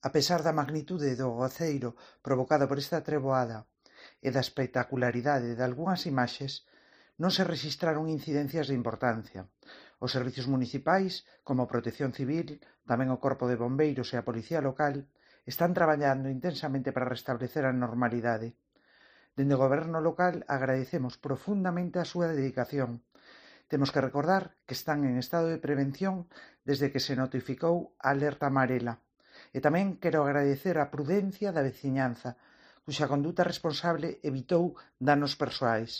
A pesar da magnitude do agoceiro provocado por esta treboada e da espectacularidade dalgunhas imaxes, non se rexistraron incidencias de importancia. Os servizos municipais, como a Protección Civil, tamén o Corpo de Bombeiros e a Policía Local, están traballando intensamente para restablecer a normalidade. Dende o Goberno local agradecemos profundamente a súa dedicación. Temos que recordar que están en estado de prevención desde que se notificou a alerta amarela. E tamén quero agradecer a prudencia da veciñanza, cuxa conduta responsable evitou danos persoais.